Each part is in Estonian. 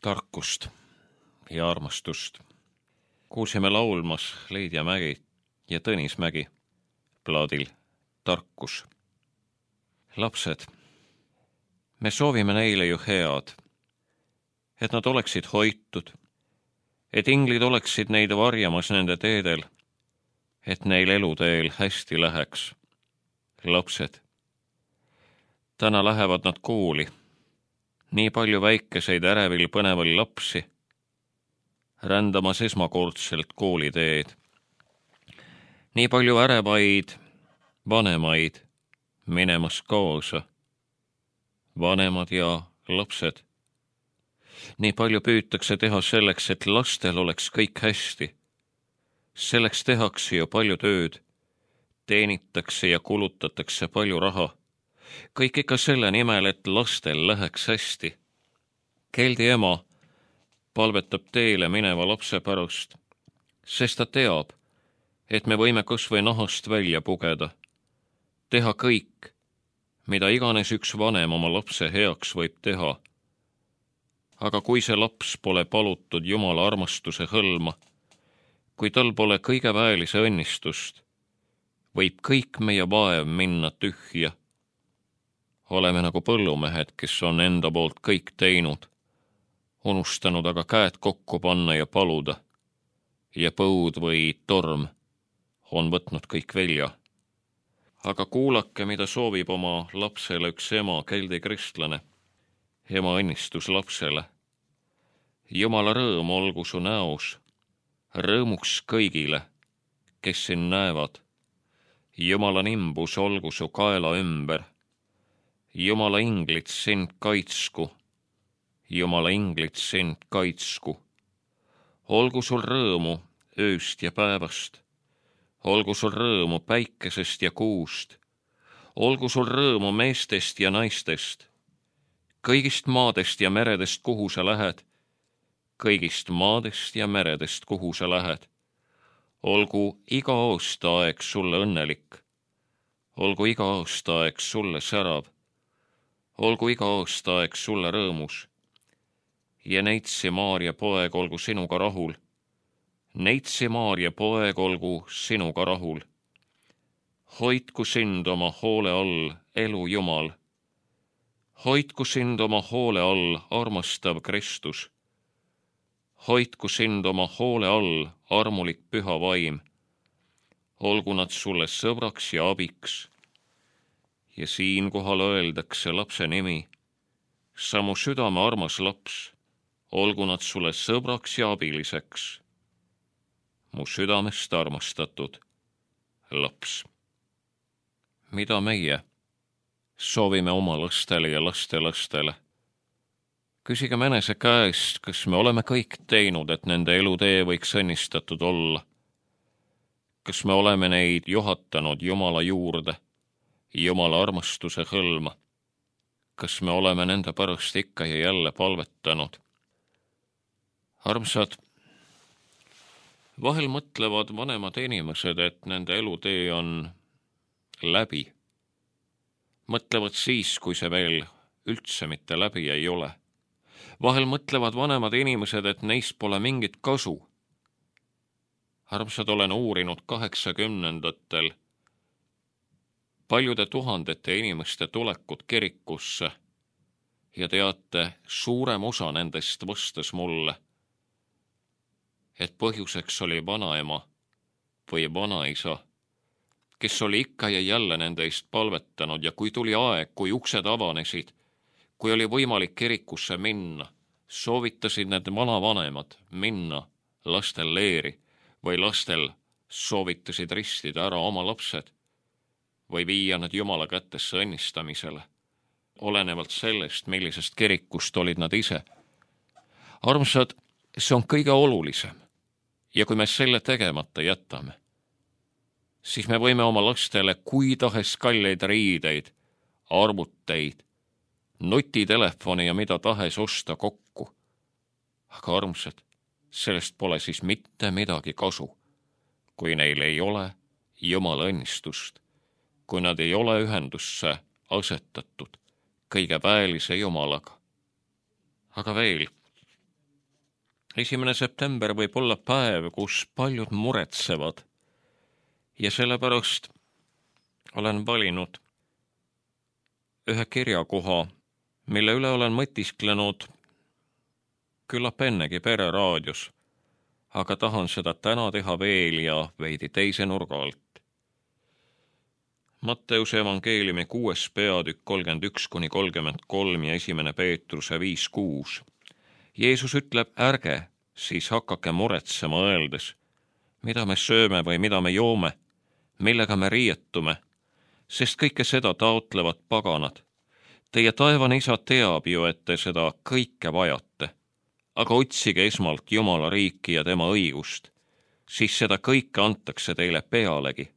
Tarkust ja armastust kuulsime laulmas Leidja Mägi ja Tõnis Mägi plaadil Tarkus. Lapsed, me soovime neile ju head, et nad oleksid hoitud, et inglid oleksid neid varjamas nende teedel, et neil eluteel hästi läheks. Lapsed, täna lähevad nad kooli, nii palju väikeseid ärevil põneval lapsi, rändamas esmakordselt kooliteed. Nii palju ärevaid vanemaid minemas kaasa, vanemad ja lapsed. Nii palju püütakse teha selleks, et lastel oleks kõik hästi. Selleks tehakse ju palju tööd, teenitakse ja kulutatakse palju raha. Kõik ikka selle nimel, et lastel läheks hästi. Keldi ema palvetab teele mineva lapse pärast, sest ta teab, et me võime kas või nahast välja pugeda, teha kõik, mida iganes üks vanem oma lapse heaks võib teha. Aga kui see laps pole palutud Jumala armastuse hõlma, kui tal pole kõige väelise õnnistust, võib kõik meie vaev minna tühja. Oleme nagu põllumehed, kes on enda poolt kõik teinud, unustanud aga käed kokku panna ja paluda, ja põud või torm on võtnud kõik velja. Aga kuulake, mida soovib oma lapsele üks ema, keldi kristlane, ema õnnistus lapsele. Jumala rõõm olgu su näos, rõõmuks kõigile, kes sind näevad. Jumala nimbus olgu su kaela ümber. Jumala inglid sind kaitsku, Jumala inglid sind kaitsku. Olgu sul rõõmu ööst ja päevast, olgu sul rõõmu päikesest ja kuust, olgu sul rõõmu meestest ja naistest, kõigist maadest ja meredest, kuhu sa lähed, kõigist maadest ja meredest, kuhu sa lähed. Olgu iga aastaaeg sulle õnnelik, olgu iga aastaaeg sulle särav, olgu iga aastaaeg sulle rõõmus. Ja Neitsi Maarja poeg olgu sinuga rahul. Neitsi Maarja poeg olgu sinuga rahul. Hoidku sind oma hoole all, elu Jumal. Hoidku sind oma hoole all, armastav Kristus. Hoidku sind oma hoole all, armulik püha vaim. Olgu nad sulle sõbraks ja abiks. Ja siinkohal öeldakse lapse nimi. Sa mu südame armas laps, olgu nad sulle sõbraks ja abiliseks. Mu südamest armastatud laps. Mida meie soovime oma lastele ja lastelastele? Küsigem enese käest, kas me oleme kõik teinud, et nende elutee võiks õnnistatud olla. Kas me oleme neid juhatanud Jumala juurde, Jumala armastuse hõlma? Kas me oleme nende pärast ikka ja jälle palvetanud? Armsad, vahel mõtlevad vanemad inimesed, et nende elutee on läbi. Mõtlevad siis, kui see veel üldse mitte läbi ei ole. Vahel mõtlevad vanemad inimesed, et neist pole mingit kasu. Armsad, olen uurinud 80-ndatel paljude tuhandete inimeste tulekut kirikusse ja teate, suurem osa nendest vastas mulle, et põhjuseks oli vanaema või vanaisa, kes oli ikka ja jälle nende eest palvetanud ja kui tuli aeg, kui uksed avanesid, kui oli võimalik kirikusse minna, soovitasid need vanavanemad minna lastel leeri või lastel soovitasid ristida ära oma lapsed või viia nad Jumala kättesse õnnistamisele, olenevalt sellest, millisest kirikust olid nad ise. Armsad, see on kõige olulisem ja kui me selle tegemata jätame, siis me võime oma lastele kui tahes kalleid riideid, arvuteid, nutitelefoni ja mida tahes osta kokku. Aga armsad, sellest pole siis mitte midagi kasu, kui neil ei ole Jumala õnnistust, kui nad ei ole ühendusse asetatud kõigepäällise Jumalaga. Aga veel, 1. september võib olla päev, kus paljud muretsevad ja sellepärast olen valinud ühe kirjakoha, mille üle olen mõtisklenud küllap ennegi Pereraadios, aga tahan seda täna teha veel ja veidi teise nurga alt. Matteuse evangeeliumi 6. peatükk 31-33 ja 1. Peetruse 5-6. Jeesus ütleb, ärge siis hakake muretsema öeldes, mida me sööme või mida me joome, millega me riietume, sest kõike seda taotlevad paganad. Teie taevane isa teab ju, et te seda kõike vajate, aga otsige esmalt Jumala riiki ja tema õigust, siis seda kõike antakse teile pealegi.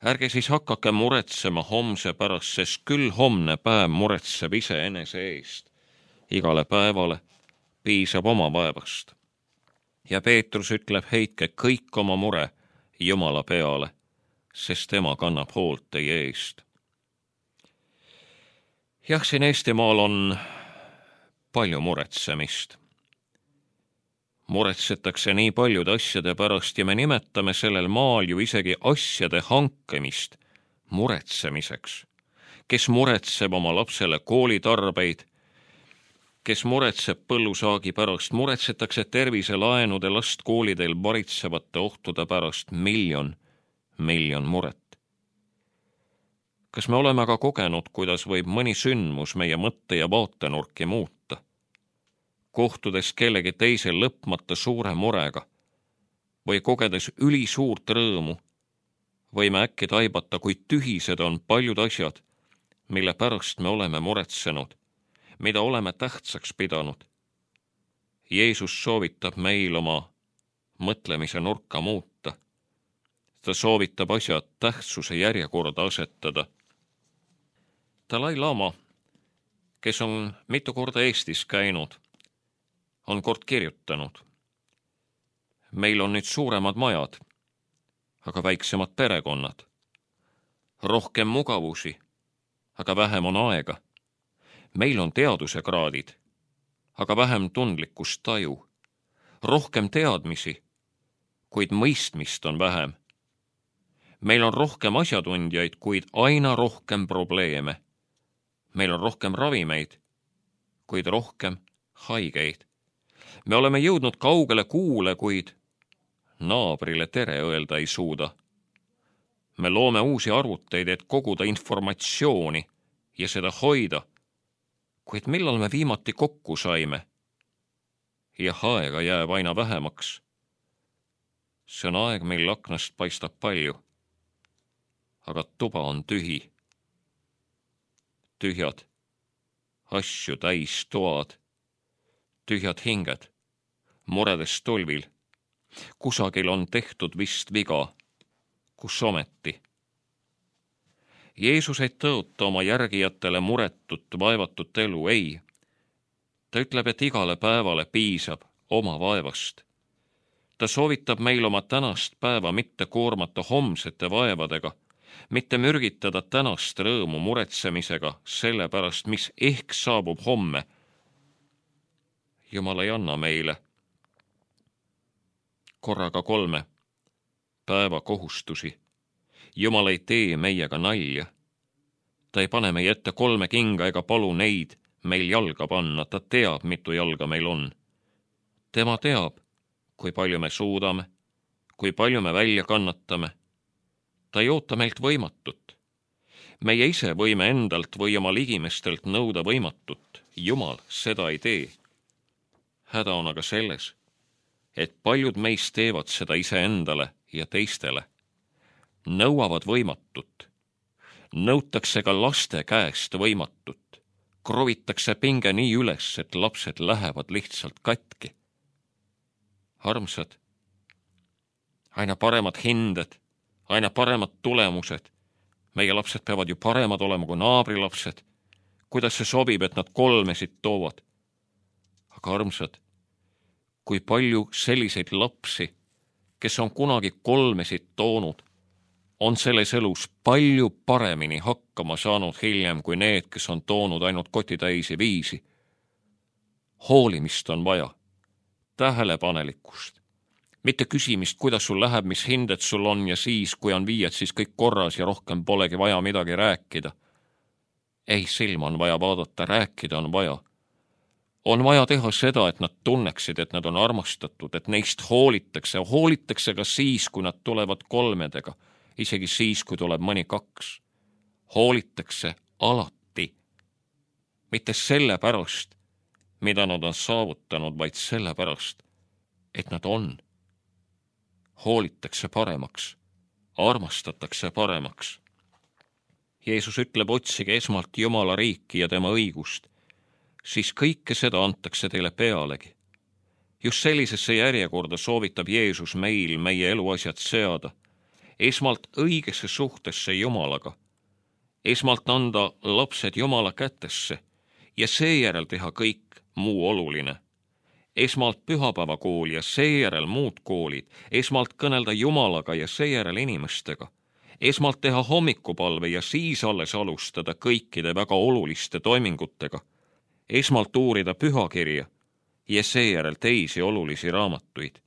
Ärge siis hakake muretsema homse pärast, sest küll homne päev muretseb iseenese eest. Igale päevale piisab oma vaevast. Ja Peetrus ütleb, heitke kõik oma mure Jumala peale, sest tema kannab hoolt teie eest. Jah, siin Eestimaal on palju muretsemist. Muretsetakse nii paljude asjade pärast ja me nimetame sellel maal ju isegi asjade hankemist muretsemiseks. Kes muretseb oma lapsele koolitarbeid, kes muretseb põllusaagi pärast, muretsetakse terviselaenude last koolidel varitsevate ohtude pärast, miljon muret. Kas me oleme aga kogenud, kuidas võib mõni sündmus meie mõtte- ja vaatenurki muuta? Kohtudes kellegi teise lõpmata suure murega või kogedes ülisuurt rõõmu, võime äkki taibata, kui tühised on paljud asjad, mille pärast me oleme muretsenud, mida oleme tähtsaks pidanud. Jeesus soovitab meil oma mõtlemise nurka muuta. Ta soovitab asjad tähtsuse järjekorda asetada. Dalai Lama, kes on mitu korda Eestis käinud, on kord kirjutanud. Meil on nüüd suuremad majad, aga väiksemad perekonnad. Rohkem mugavusi, aga vähem on aega. Meil on teaduse kraadid, aga vähem tundlikkust taju. Rohkem teadmisi, kuid mõistmist on vähem. Meil on rohkem asjatundjaid, kuid aina rohkem probleeme. Meil on rohkem ravimeid, kuid rohkem haigeid. Me oleme jõudnud kaugele kuule, kuid naabrile tere öelda ei suuda. Me loome uusi arvuteid, et koguda informatsiooni ja seda hoida, kuid millal me viimati kokku saime? Jah, aega jääb aina vähemaks. See on aeg, mil aknast paistab palju, aga tuba on tühi. Tühjad, asju täis toad, tühjad hinged, muredes tulvil. Kusagil on tehtud vist viga, kus ometi. Jeesus ei tõota oma järgijatele muretut, vaevatut elu, ei. Ta ütleb, et igale päevale piisab oma vaevast. Ta soovitab meil oma tänast päeva mitte koormata homsete vaevadega, mitte mürgitada tänast rõõmu muretsemisega selle pärast, mis ehk saabub homme. Jumal ei anna meile korraga 3 päeva kohustusi. Jumal ei tee meiega nalja. Ta ei pane meie ette 3 kinga ega palu neid meil jalga panna. Ta teab, mitu jalga meil on. Tema teab, kui palju me suudame, kui palju me välja kannatame. Ta ei oota meilt võimatut. Meie ise võime endalt või oma ligimestelt nõuda võimatut. Jumal seda ei tee. Häda on aga selles, et paljud meist teevad seda iseendale ja teistele. Nõuavad võimatut. Nõutakse ka laste käest võimatut. Krovitakse pinge nii üles, et lapsed lähevad lihtsalt katki. Armsad, aina paremad hinded, aina paremad tulemused. Meie lapsed peavad ju paremad olema kui naabrilapsed. Kuidas see sobib, et nad 3 toovad? Aga armsad, kui palju selliseid lapsi, kes on kunagi 3 toonud, on selles elus palju paremini hakkama saanud hiljem kui need, kes on toonud ainult kotitäisi viisi. Hoolimist on vaja, tähelepanelikkust, mitte küsimist, kuidas sul läheb, mis hinded sul on ja siis, kui on viied, siis kõik korras ja rohkem polegi vaja midagi rääkida. Ei, silma on vaja vaadata, rääkida on vaja. On vaja teha seda, et nad tunneksid, et nad on armastatud, et neist hoolitakse ka siis, kui nad tulevad kolmedega, isegi siis, kui tuleb mõni kaks. Hoolitakse alati. Mitte selle pärast, mida nad on saavutanud, vaid selle pärast, et nad on. Hoolitakse paremaks, armastatakse paremaks. Jeesus ütleb, otsige esmalt Jumala riiki ja tema õigust, siis kõike seda antakse teile pealegi. Just sellisesse järjekorda soovitab Jeesus meil meie eluasjad seada. Esmalt õigesse suhtesse Jumalaga. Esmalt anda lapsed Jumala kätesse ja seejärel teha kõik muu oluline. Esmalt pühapäevakool ja seejärel muud koolid. Esmalt kõnelda Jumalaga ja seejärel inimestega. Esmalt teha hommikupalve ja siis alles alustada kõikide väga oluliste toimingutega. Esmalt uurida pühakirja ja seejärel teisi olulisi raamatuid.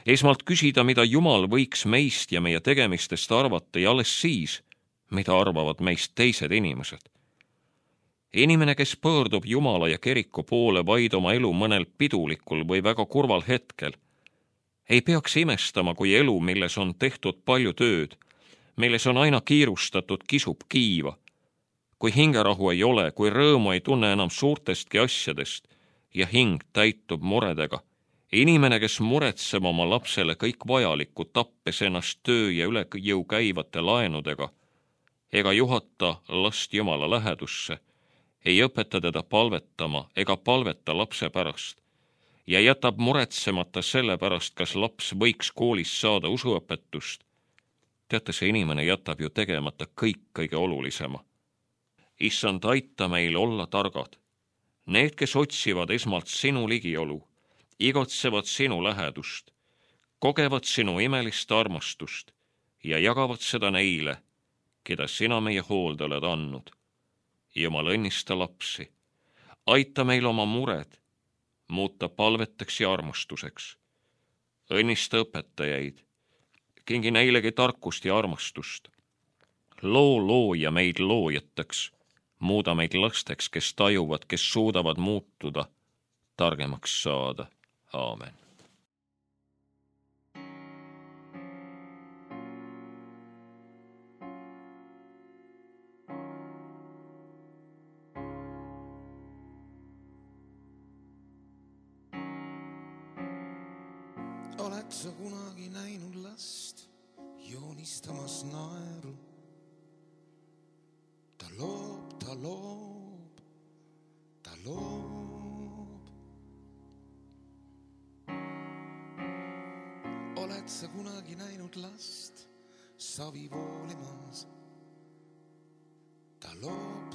Esmalt küsida, mida Jumal võiks meist ja meie tegemistest arvata ja alles siis, mida arvavad meist teised inimesed. Inimene, kes pöördub Jumala ja kiriku poole vaid oma elu mõnel pidulikul või väga kurval hetkel, ei peaks imestama, kui elu, milles on tehtud palju tööd, milles on aina kiirustatud, kisub kiiva. Kui hingerahu ei ole, kui rõõmu ei tunne enam suurtestki asjadest ja hing täitub muredega. Inimene, kes muretseb oma lapsele kõik vajalikku, tappes ennast töö ja üle jõu käivate laenudega, ega juhata last Jumala lähedusse, ei õpeta teda palvetama ega palveta lapse pärast ja jätab muretsemata selle pärast, kas laps võiks koolis saada usuõpetust. Teate, see inimene jätab ju tegemata kõik kõige olulisema. Issand, aita meil olla targad. Need, kes otsivad esmalt sinu ligiolu, igatsevad sinu lähedust, kogevad sinu imelist armastust ja jagavad seda neile, keda sina meie hoolde oled andnud. Jumal, õnnista lapsi. Aita meil oma mured muuta palveteks ja armastuseks. Õnnista õpetajaid. Kingi neilegi tarkust ja armastust. Looja meid loojateks. Muuda meid lasteks, kes tajuvad, kes suudavad muutuda, targemaks saada. Aamen. Oled sa kunagi näinud last joonistamas naeru? Ta loob. Oled sa kunagi näinud last savi voolimas? Ta loob.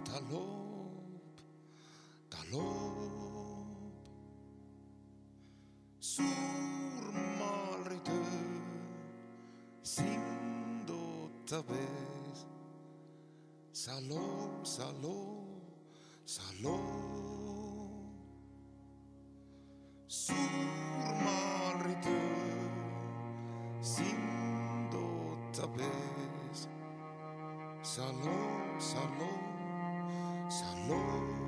Suur maalritöö sind ootab ees. Sa loob. Suur maalritöö sind ootab ees. Sa loob.